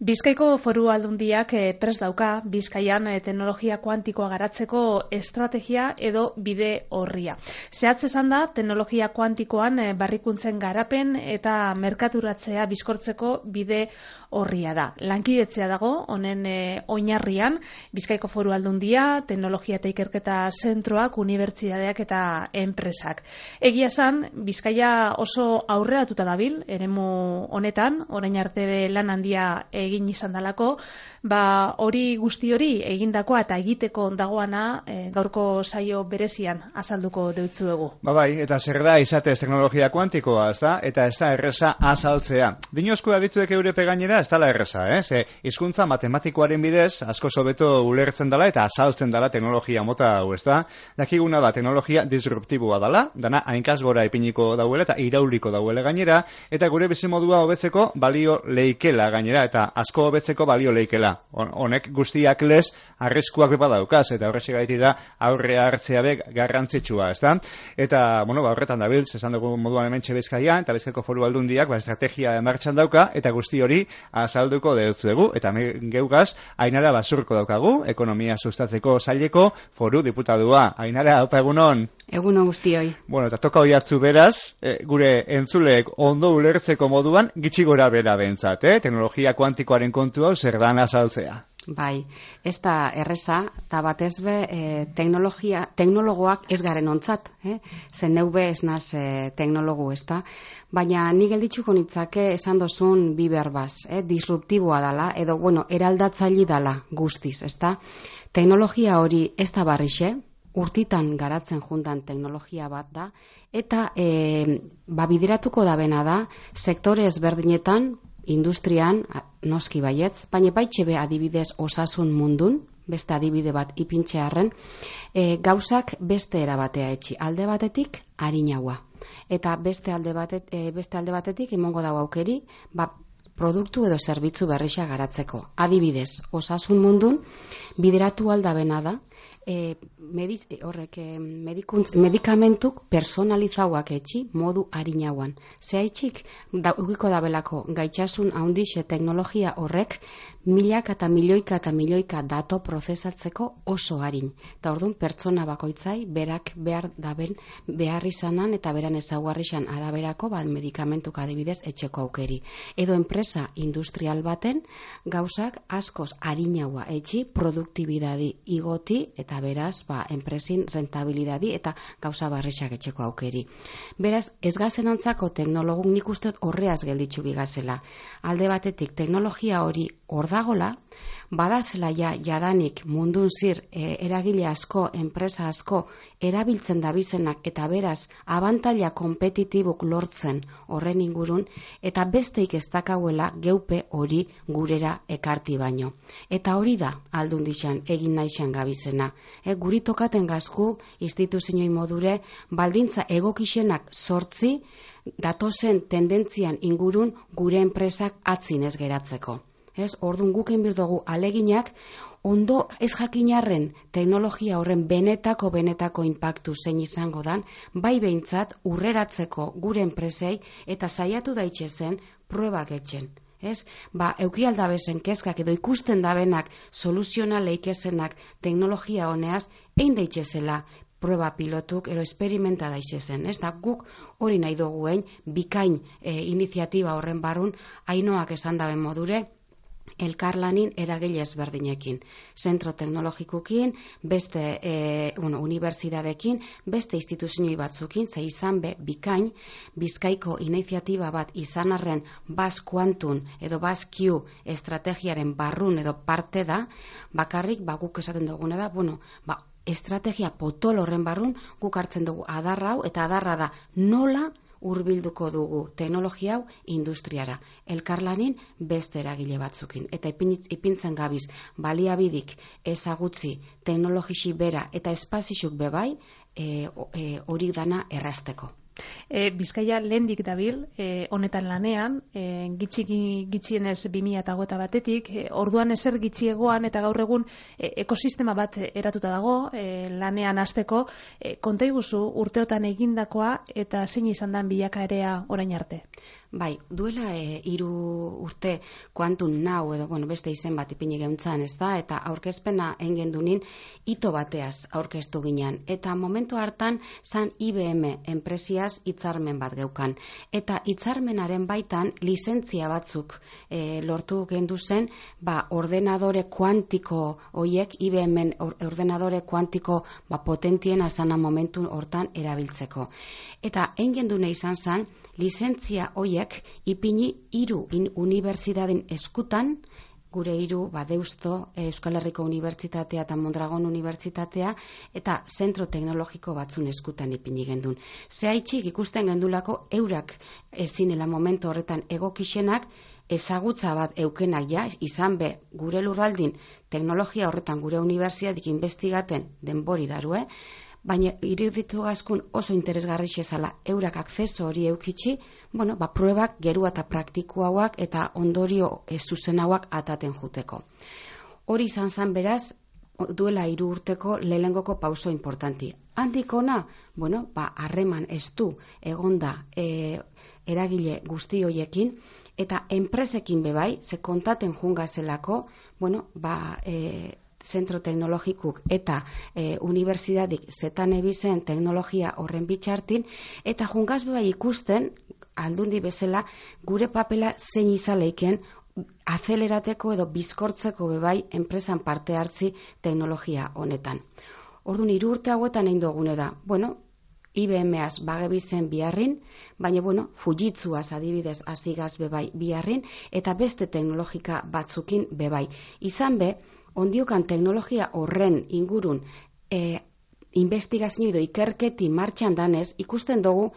Bizkaiko Foru Aldundiak prest dauka Bizkaian teknologia kuantikoa garatzeko estrategia edo bide orria. Zehatz esan da, teknologia kuantikoan barrikuntzen garapen eta merkaturatzea bizkortzeko bide orria da. Lankidetzea dago, honen oinarrian, Bizkaiko Foru Aldundia, teknologia eta ikerketa zentroak, unibertsitateak eta enpresak. Egia esan, Bizkaia oso aurreratuta dabil, eremu honetan, orain arte lan handia egin izan dalako, hori guzti hori egindakoa eta egiteko dagoana gaurko saio berezian azalduko deutzuegu. Bai, eta zer da izatez teknologia kuantikoa, ezta? Eta ez da erreza azaltzea. Dinozko adituek eurepe gainera ez dala erreza, hizkuntza matematikoaren bidez asko hobeto ulertzen dela eta azaltzen dela teknologia mota hau, ezta? Dakiguna da teknologia disruptiboa dela, dana hainkaz gora ipiniko dauela eta irauliko dauela gainera, eta gure bizimodua hobetzeko balio leikela gainera, eta asko hobetzeko balio leikela. Honek guztiak lez arriskuak bepa daukaz, eta horrexek gaiti da aurrea hartzea be garrantzitsua, ezta? Eta, horretan dabil, esan dugu moduan hemen Bizkaian, eta Bizkaiko Foru Aldundiak estrategia martxan dauka, eta guzti hori azalduko deutzuegu, eta geugaz, Ainara Basurko daukagu, ekonomia sustatzeko saileko foru diputadua. Ainara, opa egunon? Egunon guztioi. Eta toka hori hartzu beraz, gure entzuleek ondo ulertzeko moduan, gitxi gora bera bentzat, teknologia kuantikoaren kontu hau zer dan azaltzea. Bai, ez da erreza, eta batez be teknologoak ez garen ontzat, zen neube ez naz teknologu, ez da? Baina nik gelditzuko nitzake esan dozun bi berbaz, disruptiboa dala, edo, eraldatzaili dala guztiz, ez da? Teknologia hori ez da barrixe, urtitan garatzen juntan teknologia bat da, eta bideratuko da bena da, sektore ezberdinetan, industrian, noski baietz, baina baitxebe adibidez osasun mundun, beste adibide bat ipintxearren, gauzak beste erabatea etxi. Alde batetik, harinaua. Eta beste alde batetik, emongo dago aukeri, produktu edo zerbitzu berrixa garatzeko. Adibidez, osasun mundun, bideratu aldabena da, medikamentuk personalizauak etxi modu harinauan. Zehaitxik, ugiko dabelako gaitxasun haundixe teknologia horrek milaka eta milioika dato prozesatzeko oso harin. Eta orduan pertsona bakoitzai berak behar izanan eta beran ezaugarrixan araberako medikamentuk adibidez etxeko aukeri. Edo enpresa industrial baten gauzak askoz harinaua etxi produktibidadi igoti eta beraz, enpresin rentabilidadi eta gauza barrixak etxeko aukeri. Beraz, ez gazen ontzako teknologuk nik uste horreaz gelditzu bigazela. Alde batetik, teknologia hori hor dagola, badazela jadanik mundun zir eragile asko, enpresa asko erabiltzen dabizenak eta beraz abantaila kompetitibuk lortzen horren ingurun eta besteik ez dakauela geupe hori gurera ekarti baino. Eta hori da Aldundixan egin naixan gabizena. Guri tokaten gazku instituzioi modure baldintza egokixenak sortzi datozen tendentzian ingurun gure enpresak atzin ez geratzeko. Orduan guk egin birdugu aleginak ondo ez jakinarren teknologia horren benetako inpaktu zein izango dan, bai behintzat urreratzeko gure enpresei eta saiatu daitxezen pruebak etxen. Euki aldabezen kezkak edo ikusten dabenak soluzioa leikezenak teknologia honeaz, egin daitxezela prueba pilotuk, ero esperimenta daitxezen. Guk hori nahi duguen bikain iniziatiba horren barrun, Ainoak esan daben modure, elkarlanin eragile ezberdinekin. Zentro teknologikukin, beste unibertsitateekin, beste instituzioi batzukin, ze izan bikain, Bizkaiko iniziatiba bat izan arren Basque Quantum edo Basque Q estrategiaren barrun edo parte da, bakarrik guk esaten duguna da, estrategia potol horren barrun guk hartzen dugu adarra hau, eta adarra da nola hurbilduko dugu teknologia hau industriara. Elkarlanin beste eragile batzukin. Eta ipintzen gabiz baliabidik ezagutzi teknologisi bera eta espazixuk bebai hori dana errazteko. Bizkaia lehendik dabil, honetan lanean, gitxienez 2021-etik, orduan ezer gitxiegoan eta gaur egun ekosistema bat eratuta dago, lanean hasteko, konta iguzu urteotan egindakoa eta zein izan dan bilakaera orain arte? Bai, duela 3 urte Quantum Now edo beste izen bat ipini geuntzan, ez da, eta aurkezpena engendunin hito bateaz aurkeztu ginen. Eta momentu hartan zan IBM enpresiaz hitzarmen bat geukan. Eta hitzarmenaren baitan lizentzia batzuk lortu gendu zen, ordenadore kuantiko hoiek, IBM ordenadore kuantiko potentien azana momentu hortan erabiltzeko. Eta engendune izan zan, lizentzia hoiek ipini 3 unibertsitateen eskutan, gure 3 Deusto, Euskal Herriko Unibertsitatea eta Mondragon Unibertsitatea, eta zentro teknologiko batzun eskutan ipini gendun. Zehaitxik ikusten gendulako eurak ezinela momentu horretan egokixenak, ezagutza bat eukenak izan be gure lurraldin teknologia horretan gure unibertsitatik investigaten denbori darue, baina iruditu gazkun oso interesgarri xezala eurak akzeso hori eukitxi, pruebak gerua eta praktikuauak eta ondorio zuzenauak ataten juteko. Hori izan zan beraz, duela 3 urteko lehenengoko pauso importanti. Handik ona, harreman estu egonda eragile guzti hoiekin, eta enpresekin bebai, ze kontaten jungazelako, zentro teknologikuk eta unibertsitatik zetan ebizen teknologia horren bitxartin, eta jungaz bebai ikusten, aldundi bezala, gure papela zein izaleiken azelerateko edo bizkortzeko bebai enpresan parte hartzi teknologia honetan. Orduan 3 urte hauetan egin dugune da, IBM-az bagebizen biharrin, baina Fujitsuaz adibidez azigaz bebai biharrin, eta beste teknologika batzukin bebai. Izan be, ondiokan teknologia horren ingurun investigazio edo ikerketi martxan danez, ikusten dugu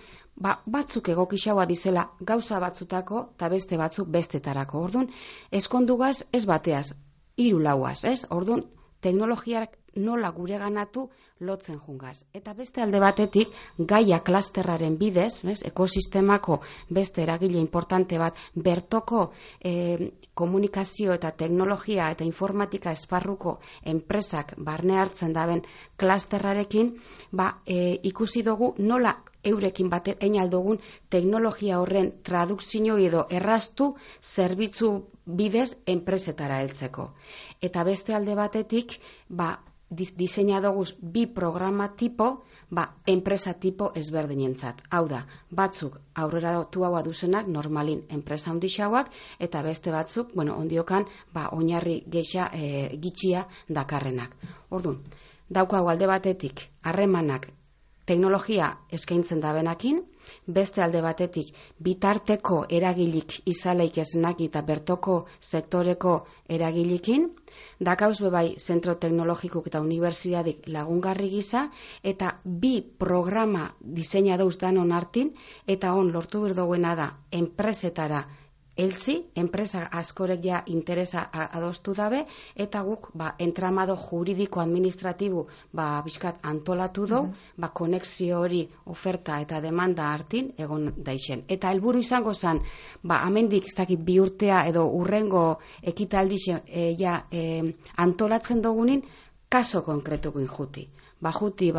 batzuk egokixaua dizela gauza batzutako eta beste batzuk bestetarako. Orduan, eskondugaz ez bateaz, 3-4, ez? Orduan, teknologiak nola gure ganatu lotzen jungaz. Eta beste alde batetik, Gaia klasterraren bidez, ekosistemako beste eragile importante bat, bertoko komunikazio eta teknologia eta informatika esparruko enpresak barne hartzen daben klasterrarekin, ikusi dugu nola eurekin egin aldugun teknologia horren tradukzio edo erraztu zerbitzu bidez enpresetara heltzeko. Eta beste alde batetik, diseinadoguz 2 programa tipo, enpresa tipo ezberdinentzat. Hau da, batzuk aurrera tuaua duzenak normalin enpresa handixauak, eta beste batzuk, ondiokan, oinarri geixa gitxia dakarrenak. Orduan, daukagu alde batetik, harremanak teknologia eskaintzen dabenakin, beste alde batetik bitarteko eragilik izaleik esnak eta bertoko sektoreko eragilikin, dakauz bebai zentro teknologikuk eta unibertsitatik lagungarri gisa, eta 2 programa diseinadouz danon hartin, eta lortu berdoguena da enpresetara eltzi, enpresa askorek interesa adostu dabe, eta guk entramado juridiko administratibo bizkat antolatu du, konexio hori oferta eta demanda hartin egon daixen. Eta helburu izango zen, amendik ez dakit 2 urtea edo urrengo ekitaldi antolatzen dugunin, kaso konkretukin juti. Juti,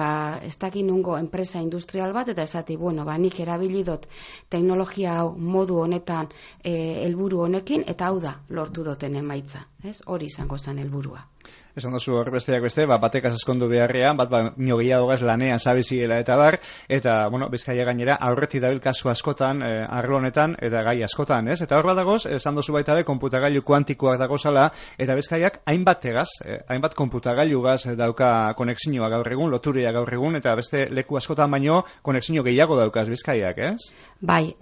ez dakit nungo enpresa industrial bat, eta esati, nik erabilidot teknologia hau modu honetan helburu honekin, eta hau da lortu duten emaitza. Hori izango zen helburua. Esan dozu hor besteak beste, batekaz eskondu beharrean, nio gehiagogaz lanean zabizigela eta bar, eta, Bizkaia gainera, aurretik dabil kasu askotan, arlo honetan, eta gai askotan, ez? Eta hor badagoz, esan dozu baita konputagailu kuantikoak dagozala, eta Bizkaiak hainbat konputagailugaz dauka konexioa gaur egun, loturia gaur egun, eta beste leku askotan baino konexio gehiago daukaz Bizkaiak, ez? Bai,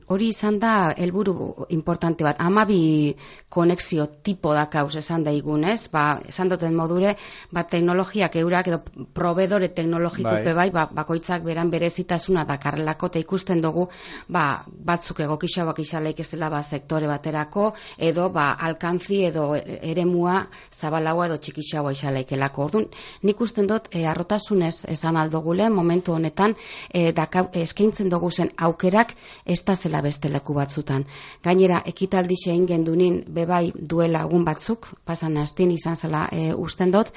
hori izan da helburu importante bat, 12 konexio tipo dakauz esan daigun, ez? Esan duten modure, teknologiak eurak edo proveedore teknologikope bakoitzak beran berezitasuna dakarrelako, eta ikusten dugu batzuk egokixauak izaleik ez dela sektore baterako, edo alkantzi edo eremua zabalagoa edo txikixagoa izalaikelako. Orduan, nik usten dut arrotasunez esan aldogule, momentu honetan eskaintzen dugu zen aukerak ez da zela beste leku batzutan. Gainera, ekitaldi zein gendunin bebai duela egun batzuk, pasan astin izan zela usten dut,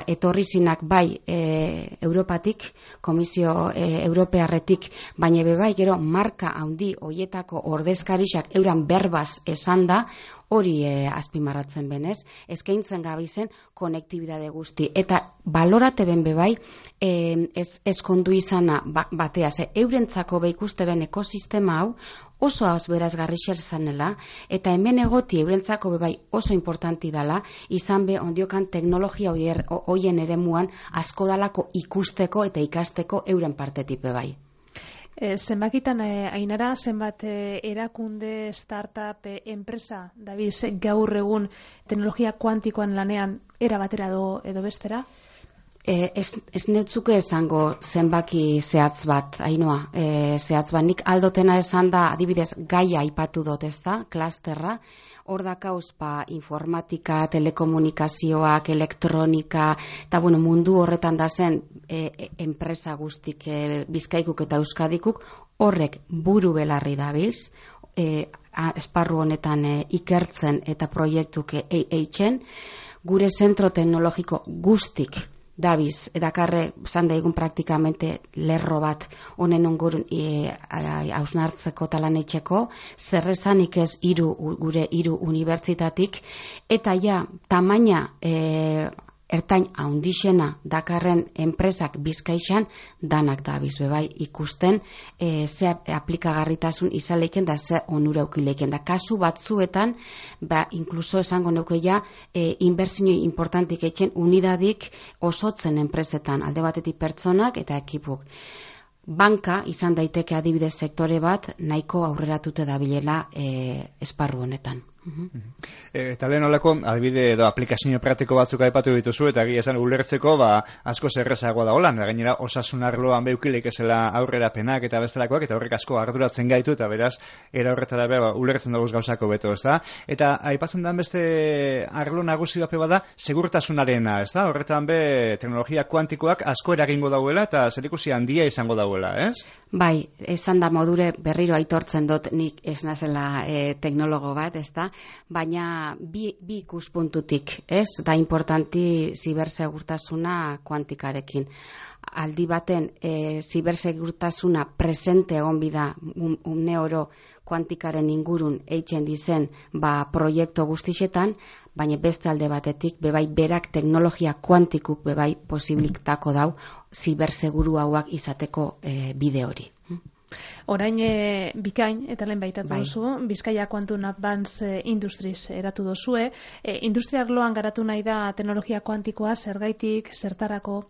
etorri zinak bai Europatik, Komisio Europearretik, baina bai gero marka handi hoietako ordezkarixak euran berbaz esan da, hori azpimarratzen benez, eskaintzen gabizen konektibidade guzti. Eta balorate ben bebai, ez kondu izana batea, eurentzako ikuste ben ekosistema hau, oso berazgarri zanela, eta hemen egoti eurentzako bebai oso importanti dala, izan be ondiokan teknologia hoien eremuan asko dalako ikusteko eta ikasteko euren partetik bebai. Zenbakitan, Ainara, zenbat erakunde, startup, enpresa, dabiz gaur egun teknologia kuantikoan lanean era batera edo bestera? Ez netzuke esango zenbaki zehatz bat, Ainoa, zehatz bat. Nik aldotena esan da, adibidez, gaia aipatu dut, ez da, klasterra, hor dakauz informatika, telekomunikazioak, elektronika, eta mundu horretan da zen enpresa guztik Bizkaikuk eta Euskadikuk, horrek buru belarri dabiz, esparru honetan ikertzen eta proiektuk eitzen, gure zentro teknologiko guztik dabiz, edakarre zan daigun praktikamente lerro bat honen ongurun hausnartzeko talan etxeko, zerrezanik ez gure hiru unibertsitatik, eta ja, tamaina ertain haundixena dakarren enpresak Bizkaixan danak dabiz bebai ikusten ze aplikagarritasun izaleiken da ze onura ukileiken da. Kasu batzuetan, inkluso esango neukeia, inbertsioi importantik etxen unidadik osotzen enpresetan, alde batetik pertsonak eta ekipuk. Banka izan daiteke adibidez sektore bat nahiko aurreratute dabilela esparru honetan. Eta lehen olako, adibide edo aplikazio praktiko batzuk aipatu dituzu, eta egia esan ulertzeko asko zerrezagoa da holan, gainera osasun arloan beukileik ezela aurrerapenak eta bestelakoak, eta horrek asko arduratzen gaitu, eta beraz, era horretara ulertzen daguz gauzako beto, ez da? Eta aipatzen den beste arlo nagusi bape bada, segurtasunarena, ez da? Horretan teknologia kuantikoak asko eragingo dauela, eta zerikusi handia izango dauela, ez? Bai, esan da modure berriro aitortzen dut nik ez nazela teknologo bat, ez da? Baina bi ikuspuntutik, ez? Da importanti zibersegurtasuna kuantikarekin. Aldi baten, zibersegurtasuna presente egon bida une oro kuantikaren ingurun eitzen dizen proiektu guztixetan, baina beste alde batetik, bebai berak teknologia kuantikuk bebai posibilitako dau ziberseguru hauak izateko bide hori. Orain bikain, eta lehen baitatu duzu, Bizkaia Quantum Advanced Industries eratu duzue. Industria arloan garatu nahi da teknologia kuantikoa, zergaitik, zertarako?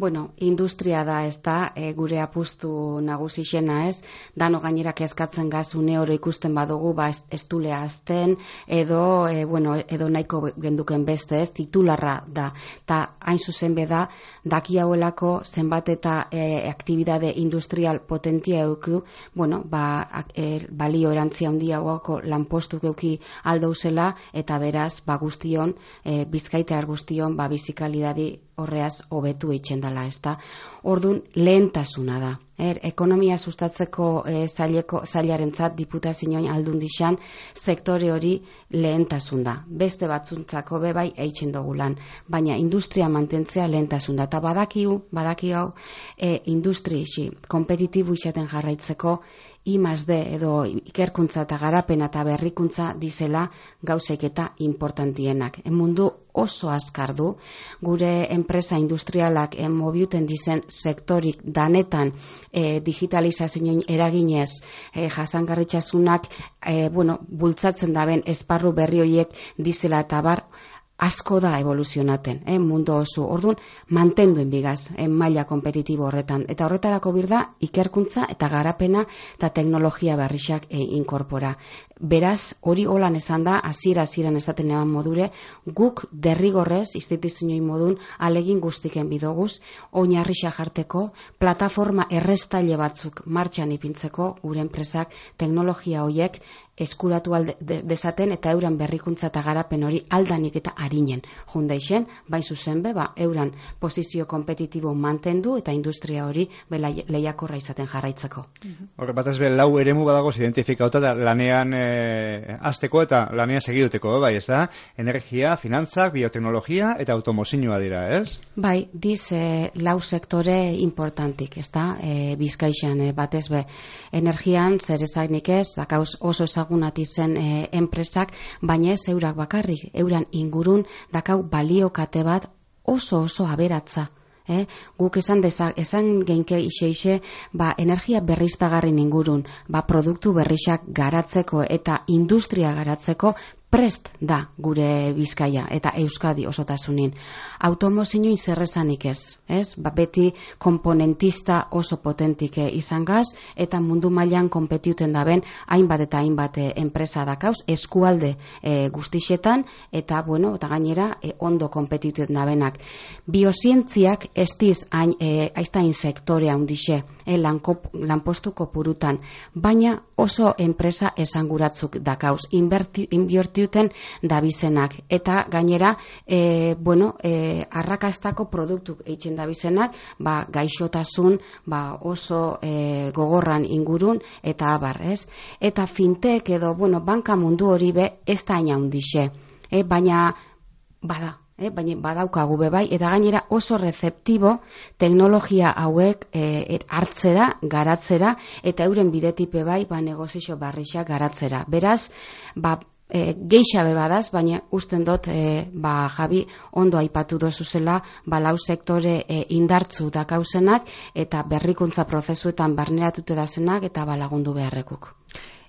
Bueno, industria da, ez da, gure apustu nagusixena, ez? Dano gainerak eskatzen gazune oro ikusten badugu, ez dulea azten, edo nahiko genduken beste, ez? Titularra da. Ta hain zuzen beda, daki hauelako zenbat eta aktibidade industrial potentia euku, balio erantzia handia hauako lanpostuk euki aldouzela, eta beraz, guztion, Bizkaitar guztion, bizikalidadi horreaz hobetu eitzen dela, ez da. Orduan, lehentasuna da. Ekonomia sustatzeko zailarentzat diputazioan aldundixan sektore hori lehentasun da. Beste batzuntzako bebai eitzen dugu lan. Baina industria mantentzea lehentasun da. Eta badaki hau, industri kompetitibu izaten jarraitzeko I+D edo ikerkuntza eta garapena eta berrikuntza dizela gauzaik eta importantienak. Mundu oso azkar du, gure enpresa industrialak mobiuten dizen sektorik danetan digitalizazioen eraginez jasangarritasunak bultzatzen daben esparru berri horiek dizela eta bar, asko da evoluzionaten, mundu oso. Orduan, mantenduen bigaz, maila kompetitibo horretan. Eta horretarako birda, ikerkuntza eta garapena eta teknologia berrixak inkorpora. Beraz, hori holan esan da, hasiera-hasieran esaten eban modure, guk derrigorrez, instituzioin modun, alegin guztiken bidoguz, oinarrixa jarteko, plataforma errestaile batzuk martxan ipintzeko, gure enpresak teknologia horiek eskuratu dezaten eta euran berrikuntza eta garapen hori aldanik eta arinen jundaixen, bai zuzen be, euran posizio kompetitibo mantendu eta industria hori lehiakorra izaten jarraitzeko. Horre batez be, lau eremu badagoz identifikauta da lanean azteko eta lanean segiduteko, bai, ez da? Energia, finantzak, bioteknologia eta automozioa dira, ez? Bai, diz lau sektore importantik, ez da? Bizkaixan batez be, energian zer ezagnik ez, dakauz oso ezagunat izen enpresak, baina ez eurak bakarrik, euran ingurun dakau baliokate bat oso aberatza. Guk esan genke ixe energia berriztagarrin ingurun, produktu berrizak garatzeko eta industria garatzeko prest da gure Bizkaia eta Euskadi osotasunin. Automozioin zerrezanik ez? Beti komponentista oso potentik izan gaz, eta mundu mailan konpetiuten daben hainbat eta hainbat enpresa dakauz, eskualde guztixetan, eta eta gainera ondo konpetiuten dabenak. Biozientziak ez diz aiztain sektorea hundixe, lanpostu kopurutan, baina oso enpresa esanguratzuk dakauz, inbertiuten dabizenak, eta gainera arrakastako produktuk eitzen dabizenak, gaixotasun oso gogorran ingurun eta abar, ez? Eta fintech edo banka mundu hori be ez da aina hundixe, baina badaukagu bai, eta gainera oso rezeptibo teknologia hauek hartzera, garatzera, eta euren bidetipe bai, negozio barrixak garatzera. Beraz, geixabe badaz, baina usten dut, Javi, ondo aipatu dozuzela, lau sektore indartzu dakauzenak, eta berrikuntza prozesuetan barneratute dazenak, eta lagundu beharrekuk.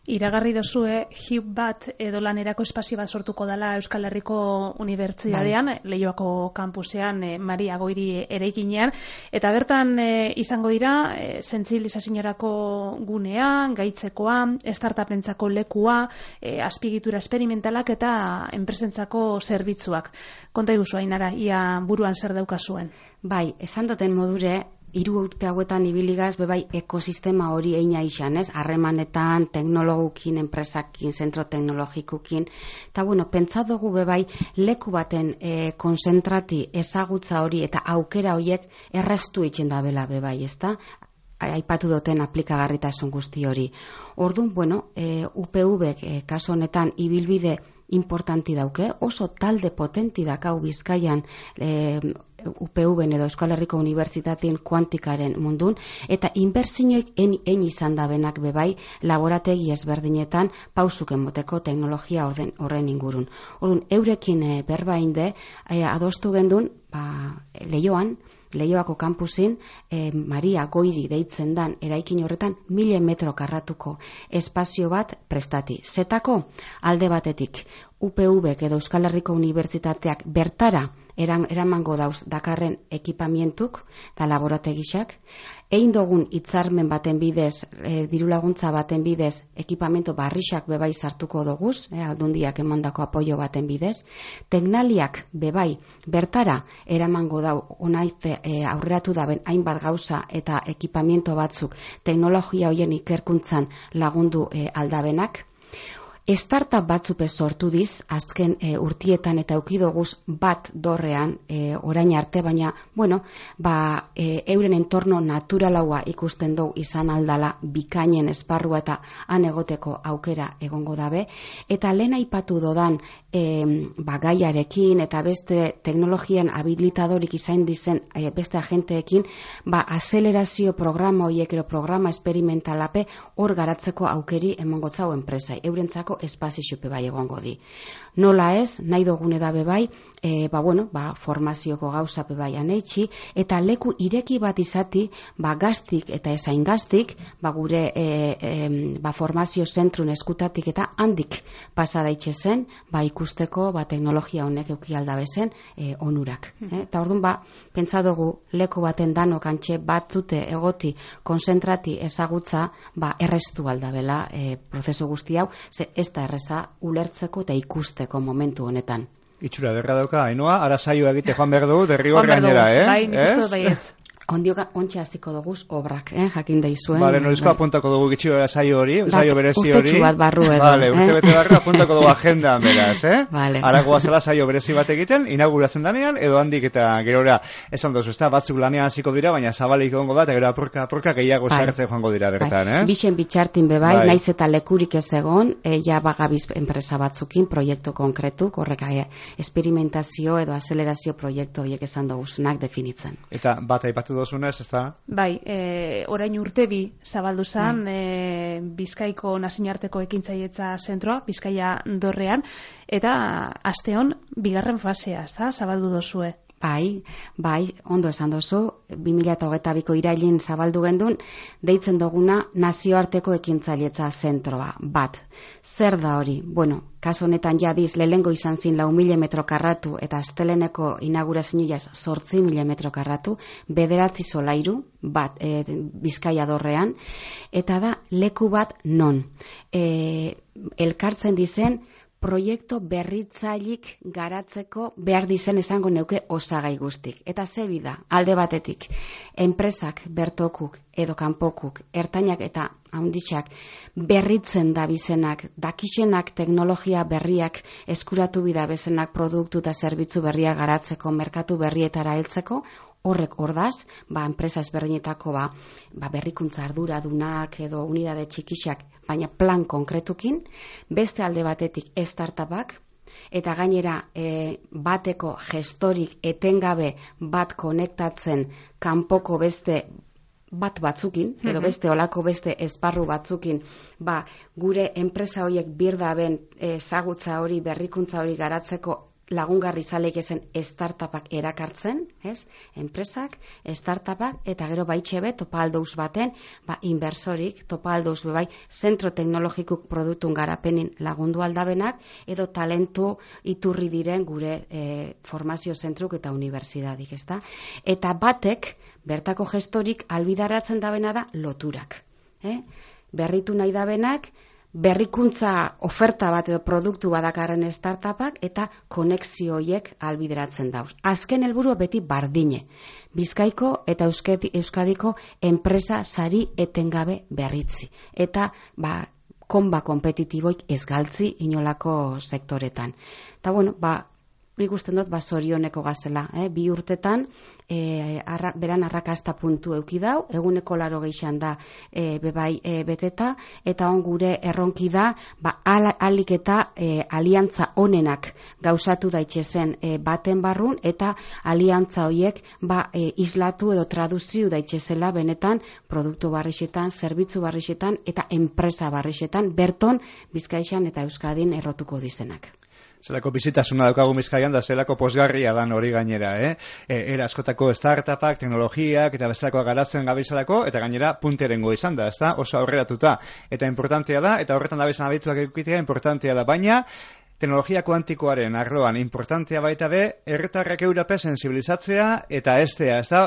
Iragarri dozue, HIP bat edo lanerako espazio bat sortuko dela Euskal Herriko Unibertsitatean, Leioako kampusean, Maria Goiri eraikinean, eta bertan izango dira, sentsibilizazioarako gunea, gaitzekoa, startupentzako lekua, azpiegitura esperimentalak eta enpresentzako zerbitzuak. Konta iguzu, Ainara, ia buruan zer daukazuen? Bai, esan duten modure, 3 urte hauetan ibiligaz, bebai ekosistema hori eina izan, ez? Harremanetan, teknologukin, enpresakin, zentro teknologikukin, eta pentsa dugu bebai leku baten konzentrati ezagutza hori eta aukera horiek erraztu itxen da bela bebai, ez da? Aipatu duten aplikagarritasun guzti hori. Orduan, UPV kaso honetan ibilbide importanti dauke, oso talde potenti dakau Bizkaian UPV edo Euskal Herriko Unibertsitatean kuantikaren mundun, eta inbertsioik en izan dabenak bebai laborategi ezberdinetan pausuken moteko teknologia horren ingurun. Orduan, eurekin berbainde adostu gendun, Leioako kampusin Maria Goiri deitzen dan eraikin horretan 1000 metro karratuko espazio bat prestati. Zetako alde batetik UPV edo Euskal Herriko Unibertsitateak bertara eramango dauz dakarren ekipamientuk eta laborategisak, egin dugun hitzarmen baten bidez, dirulaguntza baten bidez, ekipamento barrixak bebai sartuko doguz, aldundiak emandako apoio baten bidez, teknaliak bebai bertara eramango dau onaite aurreratu daben hainbat gauza eta ekipamiento batzuk teknologia hoien ikerkuntzan lagundu aldabenak. Startup batzupe sortu diz, azken urtietan eta eukidoguz bat dorrean orain arte, baina, euren entorno naturalaua ikusten dugu izan aldala bikainen esparrua eta han egoteko aukera egongo dabe, eta lehen aipatu dodan gaiarekin eta beste teknologian habilitadorik izan dizen beste agenteekin, azelerazio programa horiek ero programa esperimentalape hor garatzeko aukeri emongotzau enpresai, eurentzako espazio xupe bai egongo di. Nola ez, nahi dugune da bebai, formazioko gauza bebai aneitzi, eta leku ireki bat izati, gaztik eta ezain gaztik, gure formazio zentrun eskutatik eta handik pasadaitxe zen, ikusteko teknologia honek euki aldabezen onurak. Eta orduan, pentsa dugu leku baten danok antxe batzute egoti konzentrati ezagutza, errestu aldabela prozesu guzti hau, ze ez da erreza ulertzeko eta ikusteko momentu honetan. Itxura, derra dauka, Ainhoa, ara saioa egite joan behar dugu, derrigor gainera, Bai, nik uste dut baietz. Ontxe hasiko dugu obrak, jakin daizuen. Bale, norizko apuntako dugu gitxi saio hori, saio berezi hori. Urtetxu bat barru edo. Bale, urte bete barru apuntako dugu agendan beraz, Vale. Aragoa zela saio berezi bat egiten, inauguratzen danean, edo handik eta gerora esan dozu, ezta, batzuk lanean hasiko dira, baina zabalik egongo da, eta gero apurka gehiago sartzen joango dira bertan, Bixen bitxartin bebai, naiz eta lekurik ez egon, ja bagabiz enpresa batzukin, proiektu konkretuk, horrek esperimentazio edo azelerazio proiektu horiek esan dugunak definitzen. Eta bat aipatu dozunez, ez da? Bai, orain urtebi zabaldu zen Bizkaiko nazioarteko ekintzailetza zentroa, Bizkaia dorrean, eta asteon bigarren fasea, ez da, zabaldu dozue. Bai, ondo esan dozu, 2022ko irailin zabaldu gendun, deitzen duguna nazioarteko ekintzailetza zentroa, bat. Zer da hori? Bueno, kaso honetan jadiz, lehengo izan zin 4.000 metro karratu, eta asteleneko inaugurazioa 8.000 metro karratu, 9 solairu, bat, Bizkaia dorrean, eta da, leku bat non. Elkartzen dizen, proiektu berritzailik garatzeko behar dizen esango neuke osagai guztik. Eta zebi da, alde batetik, enpresak, bertokuk edo kanpokuk, ertainak eta handitxak berritzen da bizenak, dakixenak teknologia berriak eskuratu bida bezenak produktu eta zerbitzu berriak garatzeko, merkatu berrietara heltzeko, horrek ordaz, enpresa ezberdinetako berrikuntza arduradunak edo unidade txikixak, baina plan konkretukin, beste alde batetik startupak, eta gainera bateko gestorik etengabe bat konektatzen kanpoko beste bat batzukin, edo beste olako beste esparru batzukin, gure enpresa horiek birdaben ezagutza hori, berrikuntza hori garatzeko lagungarri zaleik ezen startupak erakartzen, enpresak, startupak, eta gero baitxe topa aldouz baten, inbersorik, topa aldouz bebai, zentro teknologikuk produktun garapenin lagundu aldabenak, edo talentu iturri diren gure formazio zentruk eta unibertsitatik, ezta? Eta batek, bertako gestorik albidaratzen dabena da loturak. Berritu nahi dabenak, berrikuntza oferta bat edo produktu badakarren startupak eta konexio horiek albideratzen dauz. Azken helburua beti bardine. Bizkaiko eta Euskadiko enpresa sari etengabe berritzi. Eta konba kompetitiboik ez galtzi inolako sektoretan. Eta bueno, nik usten dut zorioneko gazela. 2 urtetan beran arrakasta puntu euki dau, eguneko 80 da bebai beteta, eta on gure erronki da alik eta aliantza onenak gauzatu daitzezen baten barrun, eta aliantza horiek islatu edo traduzio daitzezela benetan produktu barrixetan, zerbitzu barrixetan eta enpresa barrixetan, berton Bizkaixan eta Euskadin errotuko dizenak. Zelako bizitasuna daukagu Bizkaian da zelako posgarria dan hori gainera, Era askotako startupak, teknologiak eta bestelakoa garatzen gabizalako, eta gainera punterengo izan da, ezta? Oso aurreratuta. Eta importantea da, eta horretan dabezan abituak edukitea importantea da, baina teknologia kuantikoaren arloan importantea baita herritarrak eurape sensibilizatzea eta estea, ezta?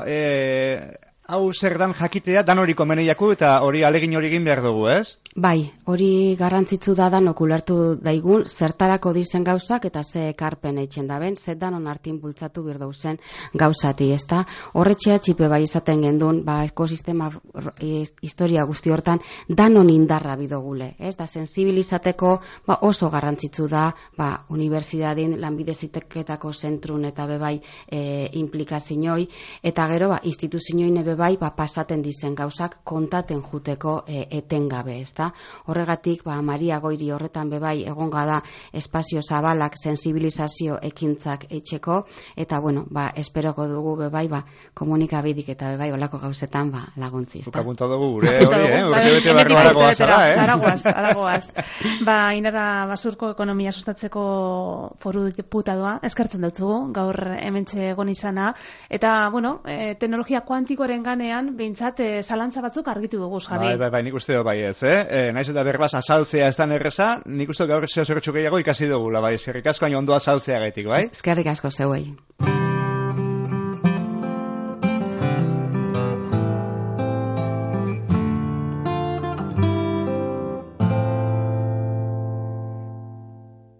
Hau zer dan jakitea, dan hori komeneiaku eta hori alegin hori egin behar dugu, ez? Bai, hori garrantzitsu da danok ulertu daigun, zertarako dizen gauzak eta ze ekarpen eitzen daben, zer danon hartin bultzatu birdauzen gauzati, ezta? Horretxea txipe bai izaten gendun, ekosistema historia guzti hortan, danon indarra bidogule, ez? Da sensibilizateko oso garrantzitsu da, unibertsidadin lanbideziteketako zentrun eta bebai implikazioi, eta gero instituzioin bai, pasaten dizen gauzak kontaten juteko etengabe, ezta? Horregatik, Maria Goiri horretan bebai egonga da espazio zabalak sensibilizazio ekintzak etxeko, eta bueno, esperoko dugu bebai, komunikabidik eta bebai olako gauzetan laguntzi, ezta? Ukapunta dugu gure hori, urte barro aragoaz, Aragoaz. Inara Basurko ekonomia sustatzeko foru diputadoa, eskertzen dutzugu, gaur hementxe egon izana, eta, bueno, teknologia kuantikoaren ganean, behintzat, zalantza batzuk argitu dugu, Javi. Bai, nik uste bai ez, Naiz eta berbaz azaltzea ez da erreza, nik uste gaur zertxo gehiago ikasi dugula, bai, eskerrik asko, hain ondo azaltzea gaitik, bai? Eskerrik asko zeuei.